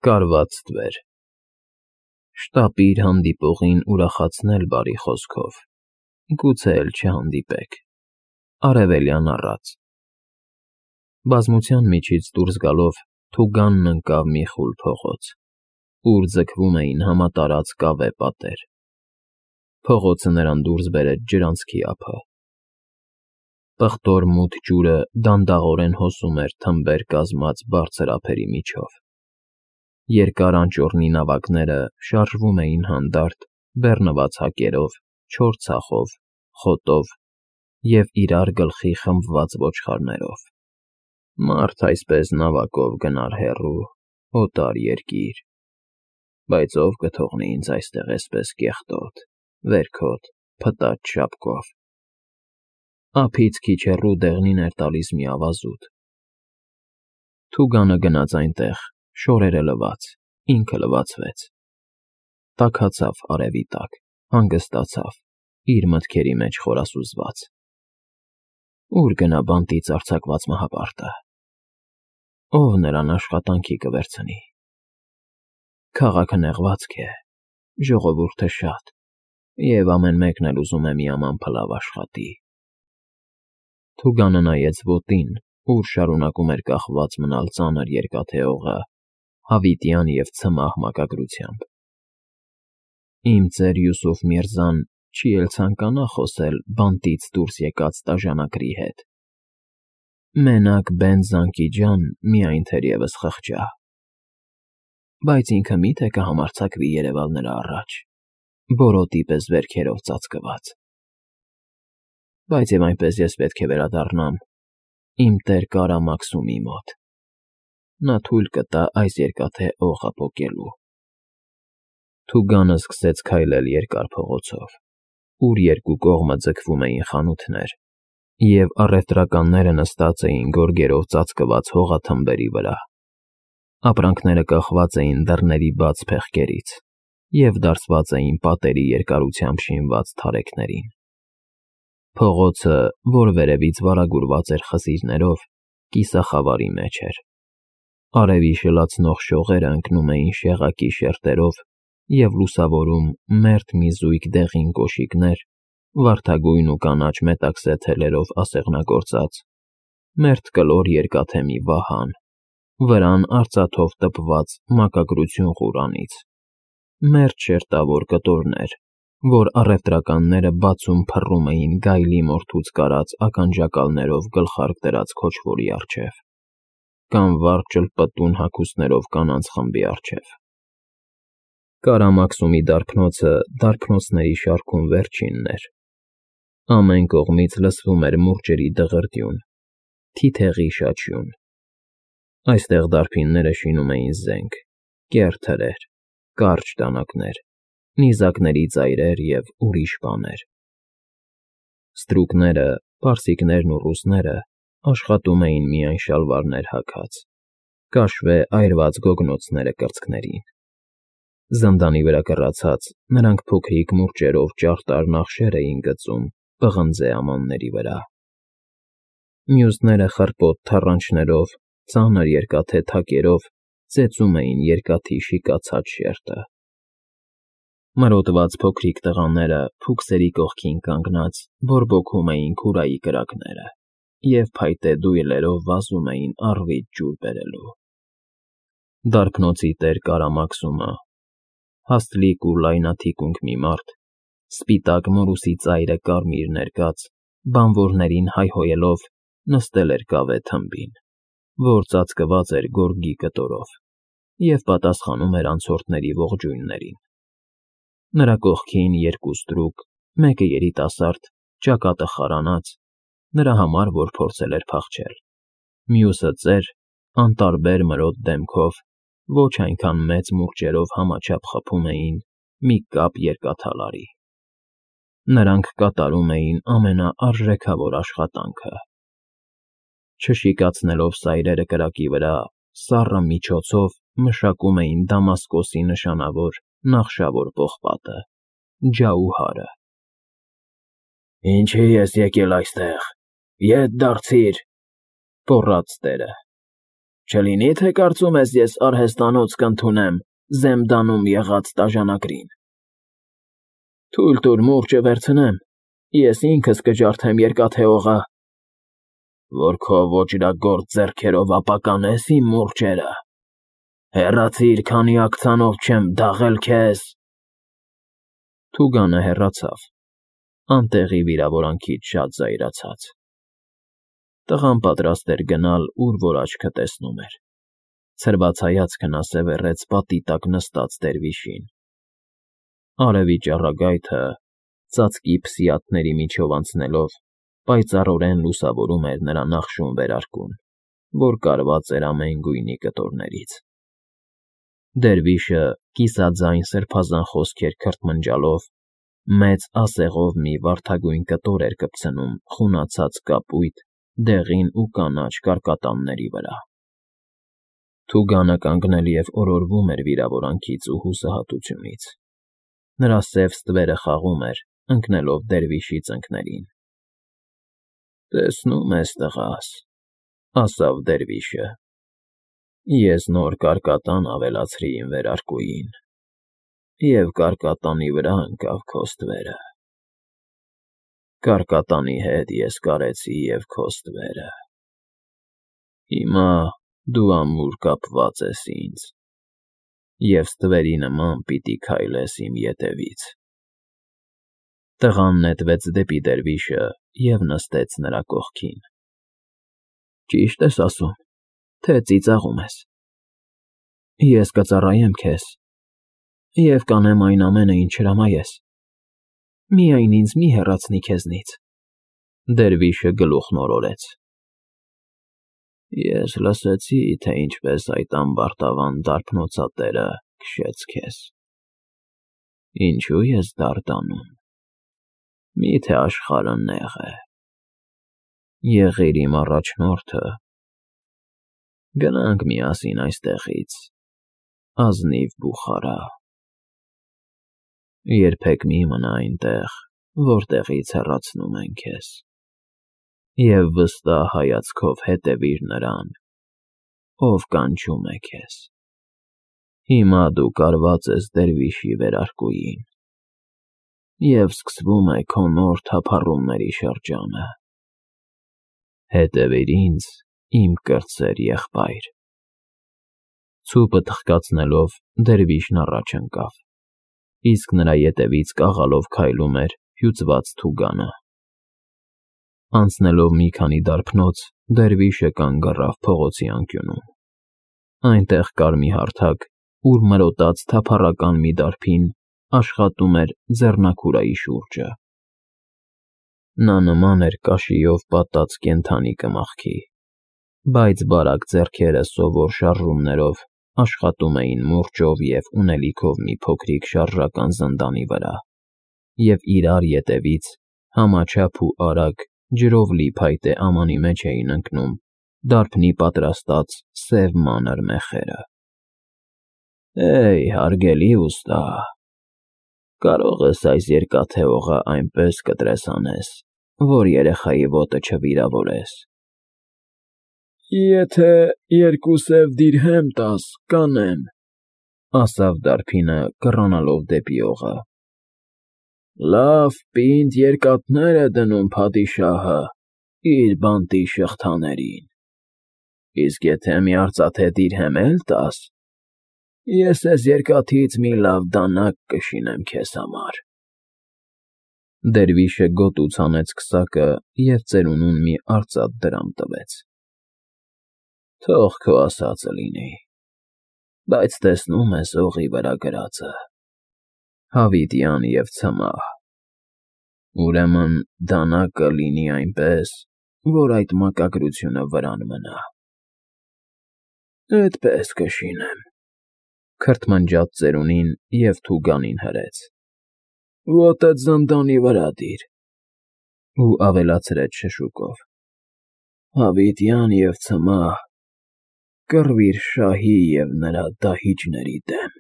Կարված ստվեր։ Շտապիր հանդիպողին ուրախացնել բարի խոսքով, գուցե էլ չհանդիպեք։ Արևելյան առած։ Բազմության միջից դուրս գալով Թուգանն ընկավ մի խուլ փողոց, ուր ձգվում էին համատարած կավե պատեր։ Փողոցը նրան դուրս բերեց ջրանցքի ափը։ Պղտոր մութ ջուրը դանդաղորեն հոսում էր թմբեր կազմած բարձր ափերի միջով։ Երկար անճոռնի նավակները շարժվում էին հանդարտ, բեռնված հակերով, չոր ցախով, խոտով և իրար գլխի խմբված ոչխարներով։ Մարդ այսպես նավակով գնար հեռու, օտար երկիր, բայց ով կթողնի ինձ այստեղ էսպես կեղտոտ, վերքոտ, փտած շապկով։ Ափից քիչ հեռու դեղնին էր տալիս մի ավազուտ։ Թուգանը գնաց այնտեղ, շորերը լվաց, ինքը լվացվեց։ Տաքացավ արևի տակ, հանգստացավ, իր մտքերի մեջ խորասուզված։ Ուր գնա բանտից արձակված մահապարտը։ Ով նրան աշխատանքի կվերցնի։ Քաղաքը նեղվածք է, ժողովուրդը շատ, և ամեն մեկն էլ ուզում է մի աման փլավ աշխատի։ Թուգանը նայեց ոտին, ուր շարունակում էր կախված մնալ ծանր երկաթե օղը, հավիտյան և ցմահ մակագրությամբ։ Իմ ծեր Յուսուֆ Միրզան չի էլ ցանկանա խոսել բանտից դուրս եկած տաժանակրի հետ։ Մենակ Բեն-Զանկի ջան միայն թերևս խղճա։ Բայց ինքը մի՞թե կհամարձակվի երևալ նրա առաջ, բորոտի պես վերքերով ծածկված։ Բայց և այնպես ես պետք է վերադառնամ իմ տեր Կարամաքսումի մոտ։ Նա թույլ կտա այս երկաթե օղը պոկելու։ Թուգանը սկսեց քայլել երկար փողոցով, ուր երկու կողմը ձգվում էին խանութներ, և առևտրականները նստած էին գորգերով ծածկված հողաթմբերի վրա։ Ապրանքները կախված էին դռների բաց փեղկերից և դարսված էին պատերի երկարությամբ շինված թարեքներին։ Փողոցը, որ վերևից վարագուրված էր խզիրներով, կիսախավարի մեջ էր։ Արևի շլացնող շողերը ընկնում էին շեղակի շերտերով և լուսավորում մերթ մի զույգ դեղին կոշիկներ, վարդագույն ու կանաչ մետաքսե թելերով ասեղնագործած, մերթ կլոր երկաթե մի վահան, վրան արծաթով տպված մակագրություն Ղուրանից, մերթ շերտավոր կտորներ, որ առևտրականները բացում փռում էին գայլի մորթուց կարած ականջակալներով գլխարկ դրած քոչվորի առջև, կամ վառ ճլպտուն հագուստներով կանանց խմբի առջև։ Կարամաքսումի դարբնոցը դարբնոցների շարքում վերջինն էր։ Ամեն կողմից լսվում էր մուրճերի դղրդյուն, թիթեղի շաչյուն։ Այստեղ դարբինները շինում էին զենք, կեռ թրեր, կարճ դանակներ, նիզակների ծայրեր և ուրիշ բաներ։ Ստրուկները, պարսիկներն ու ռուսները աշխատում էին միայն շալվարներ հագած, կաշվե այրված գոգնոցները կրծքներին։ Զնդանի վրա կռացած, նրանք փոքրիկ մուրճերով ճարտար նախշեր էին գծում պղնձե ամանների վրա։ Մյուսները խռպոտ թռանչներով, ծանր երկաթե թակերով ծեծում էին երկաթի շիկացած շերտը։ Մրոտված փոքրիկ տղաները փուքսերի կողքին կանգնած բորբոքում էին քուրայի կրակները և փայտե դույլերով վազում էին առվից ջուր բերելու։ Դարբնոցի տեր Կարամաքսումը, հաստլիկ ու լայնաթիկունք մի մարդ, սպիտակ մորուսի ծայրը կարմիր ներկած, բանվորներին հայհոյելով նստել էր կավե թմբին, որ ծածկված էր գորգի կտորով, և պատասխանում էր անցորդների ողջույններին։ Նրա կողքին երկու ստրուկ, մեկը երիտասարդ, ճակատը խարանած, նրա համար, որ փորձել էր փախչել, մյուսը ծեր, անտարբեր մրոտ դեմքով, ոչ այնքան մեծ մուրճերով համաչափ խփում էին մի կապ երկաթալարի։ Նրանք կատարում էին ամենաարժեքավոր աշխատանքը։ Չշիկացնելով սայրերը կրակի վրա, սառը միջոցով մշակում էին Դամասկոսի նշանավոր նախշավոր պողպատը՝ ջաուհարը։ «Ինչի ես եկել այստեղ, ետ դարձիր,֊ գոռաց տերը։ Չլինի թե կարծում ես ես արհեստանոց կընդունեմ Զեմդանում եղած տաժանակրին։ Թույլ տուր մուրճը վերցնեմ, ես ինքս կջարդեմ երկաթե օղը, որ քո ոճրագործ ձեռքերով ապականես իմ մուրճերը։ Հեռացիր, քանի աքցանով չեմ դաղել քեզ։ Թուգանը հեռացավ, անտեղի վիրավորանքից շատ զայրացած։ Տղան պատրաստ էր գնալ, ուր որ աչքը տեսնում էր։ Ցրված հայացքն ասևեռեց պատի տակ նստած դերվիշին։ Արևի ճառագայթը, ծածկի փսիաթների միջով անցնելով, պայծառորեն լուսավորում էր նրա նախշուն վերարկուն, որ կարված էր ամեն գույնի կտորներից։ Դերվիշը կիսաձայն սրբազան խոսքեր քրթմնջալով մեծ ասեղով մի վարդագույն կտոր էր կպցնում խունացած կապույտ, դեղին ու կանաչ կարկատանների վրա։ Թուգանը կանգնել և օրորվում էր վիրավորանքից ու հուսահատությունից։ Նրա սև ստվերը խաղում էր, ընկնելով դերվիշի ծնկներին։ Տեսնում ես, տղաս, ասավ դերվիշը, ես նոր կարկատան ավելացրի իմ վերարկուին, և կարկատանի վրա ընկավ քո ստվերը։ Կարկատանի հետ ես կարեցի և քո ստվերը։ Հիմա դու ամուր կապված ես ինձ, և ստվերի նման պիտի քայլես իմ ետևից։ Տղան նետվեց դեպի դերվիշը և նստեց նրա կողքին։ Ճիշտ ես ասում, թե ծիծաղում ես։ Ես կծառայեմ քեզ և կանեմ այն ամենը, ինչ հրամայես։ Միայն ինձ մի հեռացնի քեզնից։ Դերվիշը գլուխն օրորեց։ Ես լսեցի, թե ինչպես այդ ամբարտավան դարբնոցատերը քշեց քեզ։ Ինչու ես դարդանում։ Միթե աշխարհը նեղ է։ Եղիր իմ առաջնորդը։ Գնանք միասին այստեղից, ազնիվ Բուխարա։ Երբեք մի մնա այնտեղ, որտեղից հեռացնում են քեզ, և վստահ հայացքով հետևիր նրան, ով կանչում է քեզ։ Հիմա դու կարված ես դերվիշի վերարկուին, և սկսվում է քո նոր թափառումների շրջանը։ Հետևիր ինձ, իմ կրտսեր եղբայր։ Ցուպը թխկացնելով դերվիշն առաջ ընկավ, իսկ նրա ետևից կաղալով քայլում էր հյուծված թուգանը։ Անցնելով մի քանի դարբնոց, դերվիշը կանգ առավ փողոցի անկյունում։ Այնտեղ կար մի հարթակ, ուր մրոտած թափառական մի դարբին աշխատում էր ձեռնաքուրայի շուրջը։ Նա նման էր կաշիով պատած կենդանի կմախքի, բայց բարակ ձեռքերը սովոր շարժումներով աշխատում էին մուրճով և ունելիքով մի փոքրիկ շարժական զնդանի վրա, և իրար ետևից համաչափ ու արագ ջրով լի փայտե ամանի մեջ էին ընկնում դարբնի պատրաստած սև մանր մեխերը։ Հարգելի ուստա, կարող ես այս երկաթե օղը այնպես կտրեսանես, որ երեխայի ոտը չվիրավորես։ Եթե 2 սև դիրհեմ տաս, կանեմ, ասավ դարբինը, կռանալով դեպի օղը։ Լավ պինդ երկաթներ է դնում փադիշահը իր բանտի շղթաներին, իսկ եթե մի արծաթե դիրհեմ էլ տաս, ես էս երկաթից մի լավ դանակ կշինեմ քեզ համար։ Դերվիշը գոտուց հանեց քսակը և ծերունուն մի արծաթ դրամ տվեց։ Թող քո ասածը լինի, բայց տեսնում ես օղի վրա գրածը. հավիտյան և ցմահ։ Ուրեմն դանակը լինի այնպես, որ այդ մակագրությունը վրան մնա։ Էդպես կշինեմ, քրթմնջաց ծերունին և թուգանին հրեց։ Ոտդ զնդանի վրա դիր։ Ու ավելացրեց շշուկով. հավիտյան և ցմահ, կռվիր շահի և նրա դահիճների դեմ։